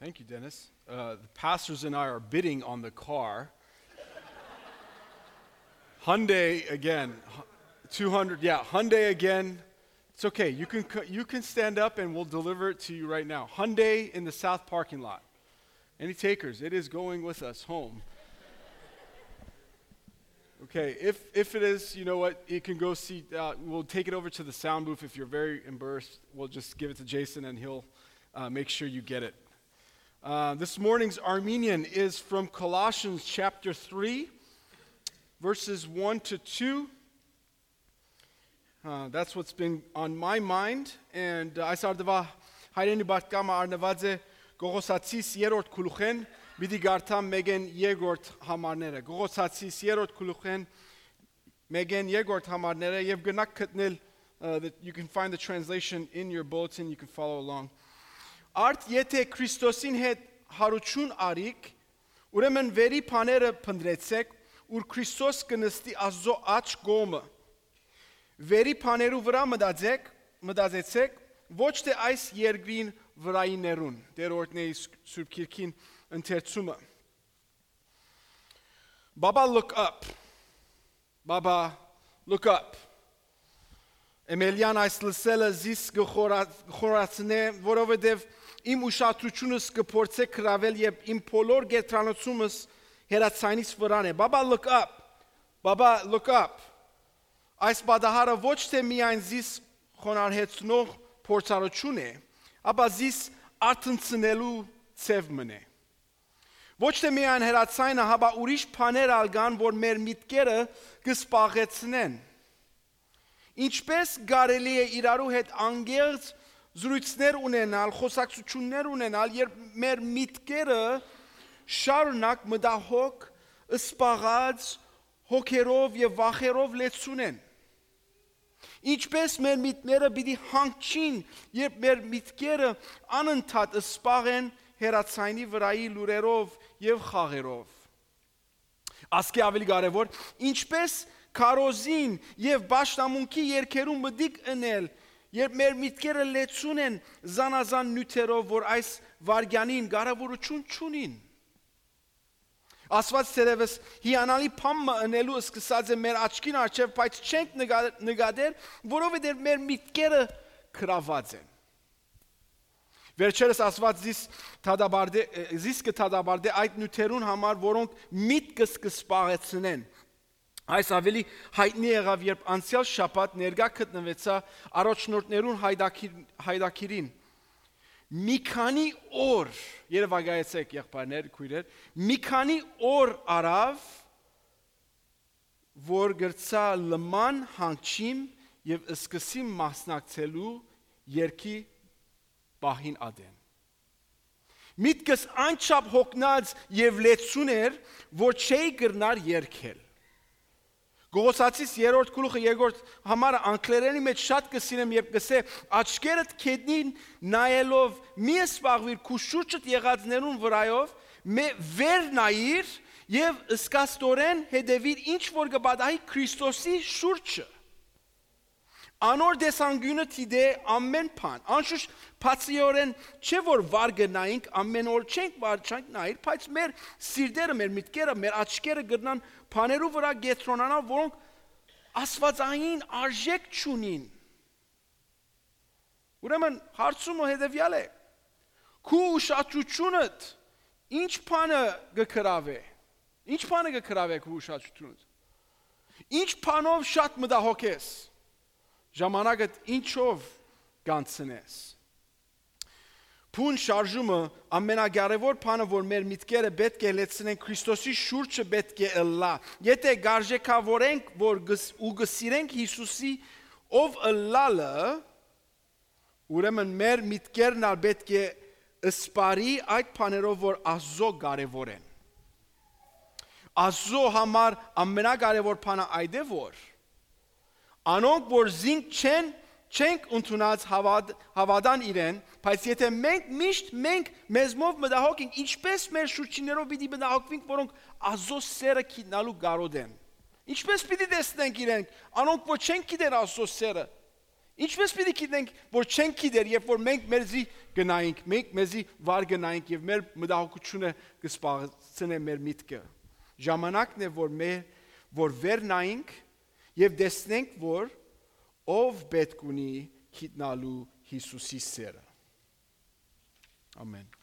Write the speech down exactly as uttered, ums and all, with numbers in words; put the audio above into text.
Thank you, Dennis. Uh, the pastors and I are bidding on the car. Hyundai again. Hu- two hundred, yeah, Hyundai again. It's okay. You can, co- you can stand up and we'll deliver it to you right now. Hyundai in the south parking lot. Any takers? It is going with us home. Okay, if, if it is, you know what, you can go see, uh, we'll take it over to the sound booth. If you're very embarrassed, we'll just give it to Jason and he'll uh, make sure you get it. Uh, this morning's Armenian is from Colossians chapter three, verses one to two. Uh, that's what's been on my mind. And uh, այս արդուա հայրենի բարդկամը առնված է Կողոսացիս երրորդ գլուխեն, պիտի գարթամ մեկեն երկրորդ համարները։ Կողոսացիս երրորդ գլուխեն, մեկեն երկրորդ համարները, եւ գնաք գտնել, uh, that you can find the translation in your bulletin, you can follow along. Արդ եթե Քրիստոսին հետ հարություն արիք, ուրեմն վերի բաները փնտրեցեք, ուր Քրիստոս կը նստի Աստուծոյ աջ կողմը։ Վերի բաներու վրա մտածեք, մտածեցեք, ոչ թէ այս երկրին վրայիներուն։ Տեր օրհնէ իր Սուրբ Գիրքին ընթերցումը։ Baba, look up. Baba, look up. Էմելիան այս լսելը զիս կը խորա- խորացնէ, որովհետև իմ ուշադրությունս կը փորձէ գրավել, երբ իմ բոլոր կեդրանոցումս հեռացայինիս վրան է։ Baba, look up. Baba, look up. Այս պատահարը ոչ թէ միայն զիս խոնարհեցնող փորձառություն է, ապա զիս արթնցնելու ձև մըն է։ Ոչ թէ միայն հեռացայինը, հապա ուրիշ բաներ ալ կան, որ մեր միտքերը կը սպաղեցնեն։ Ինչպե՞ս կարելի է իրարու հետ անկեղծ զրույցներ ունենալ, խոսակցություններ ունենալ, երբ մեր միտքերը շարունակ մտահոգ, սպաղած, հոգերով եւ վախերով լեցուն են։ Ինչպե՞ս մեր միտքները պիտի հանգչին, երբ մեր միտքերը անընդհատ սպաղ են հեռացայինի վրայի լուրերով եւ խաղերով։ Ասկէ ավելի կարեւոր, ինչպե՞ս քարոզին եւ պաշտամունքի երգերու մտիկ ընել, երբ մեր միտքերը լեցուն են զանազան նիւթերով, որ այս վայրկեանին կարեւորութիւն չունին։ Աստուած թերեւս հիանալի բան մը ընելու սկսած է մեր աչքին առջեւ, բայց չենք նկա- նկատեր, որովհետեւ մեր միտքերը գրաված են։ Վերջերս Աստուած զիս դատապարտէ, զիս կը դատապարտէ այդ նիւթերուն համար, որոնք միտքս կը սպաղեցնեն։ Այս ավելի յայտնի եղաւ, երբ անցեալ շաբաթ ներկայ գտնուեցայ առաջնորդներուն հայդակիր- հայդակիրին։ Մի քանի օր, երևակայեցէք, եղբայրներ, քոյրեր, մի քանի օր առաւ, որ կրցայ լման, հանգչիմ եւ սկսիմ մասնակցելու երգի պահին ատեն։ Միտքս այնչափ յոգնած եւ լեցուն էր, որ չէի կրնար երգել։ Կողոսացիս երրորդ գլուխը երկրորդ համարը անգլերենի մեջ շատ կը սիրեմ, երբ կսէ. «Աչքերդ քեդին նայելով, մի զբաղուիր քու շուրջդ եղածներուն վրայով, մե- վեր նայիր եւ զգաստորեն հետեւիր, ինչ որ կը պատահի Քրիստոսի շուրջը»։ Անոր տեսանկիւնը դիտէ ամէն բան։ Անշուշտ, բացիորեն չէ, որ վար կը նայենք, ամէն օր չենք վար, չենք նայիր, բայց մեր սիրտերը, մեր միտքերը, մեր աչքերը կրնան բաներու վրայ կեդրոնանալ, որոնք աստուածային արժէք չունին։ Ուրեմն, հարցումը հետեւեալ է. քու ուշադրությունդ ի՞նչ բանը կը գրաւէ։ Ի՞նչ բանը կը գրաւէ քու ուշադրությունդ։ Ի՞նչ բանով շատ մտահոգ ես։ Ժամանակդ ի՞նչով կանցնես։ Բուն շարժումը, ամենակարևոր բանը, որ մեր միտքերը պէտք է լեցնեն, Քրիստոսի շուրջը պէտք է ըլլայ։ Եթէ կարժեքավորենք, որ գս- ու կը սիրենք Յիսուսի ով ըլլալը, ուրեմն մեր միտքերն ալ պէտք է սպառի այդ բաներով, որ Աստուծոյ կարեւոր են։ Աստուծոյ համար ամենակարեւոր բանը այդ է, որ անոնք, որ զինք չեն, չենք ընդունած, հավատ- հաւատան իրեն, բայց եթէ մենք միշտ, մենք մեզմով մտահոգ ենք, ինչպե՞ս մեր շուրջիններով պիտի մտահոգվենք, որոնք Աստուծոյ սերը գիտնալու կարօտ են։ Ինչպե՞ս պիտի տեսնենք իրենք, անոնք, որ չեն գիտեր Աստուծոյ սերը։ Ինչպե՞ս պիտի գիտենք, որ չենք գիտեր, երբ որ մենք մեր զի- կը նայենք, մենք մեզի վար կը նայենք եւ մեր մտահոգութիւնը կը սպասցնէ մեր միտքը։ Ժամանակն է, որ մեր, որ վեր նայենք եւ տեսնենք, որ ով պէտք ունի գիտնալու Յիսուսի սերը։ Ամեն։